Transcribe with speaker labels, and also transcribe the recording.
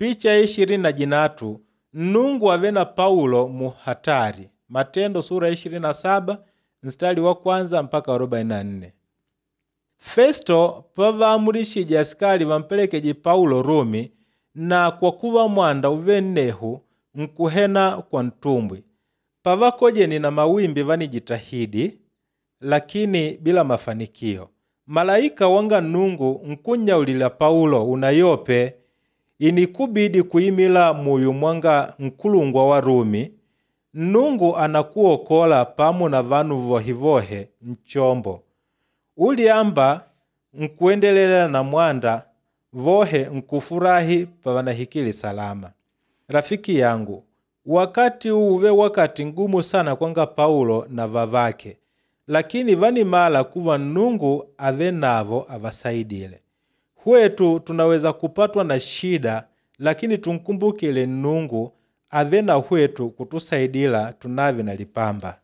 Speaker 1: Picha ya 23 Nnungu ave na Paulo mu hatari. Matendo sura ya 27 mstari wa kwanza mpaka 44. Festo pavaamulishije asikali vampelekeje Paulo Rumi, na kwa kuva mwanda uve nnehu nkuhena kwa ntumbwi. Pavakojene na mawimbi vanijitahidi, lakini bila mafanikio. Malaika wanga Nnungu nkunnyaulila Paulo unayope inikubidi kuimila muyo mwanga nkulungwa wa Rumi, Nnungu anakuokola pamo na vanu vohevohe nchombo. Ulyamba nkuendelela na mwanda, vohe nkufurahi pavanahikile salama. Rafiki yangu, wakati uve wakati ngumu sana kwanga Paulo na vavake, lakini vanimala kuva Nnungu ave navo avasaidile. Hwetu tunaweza kupatwa na shida, lakini tunkumbukile Nnungu ave na hwetu kutusaidila tunave na lipamba.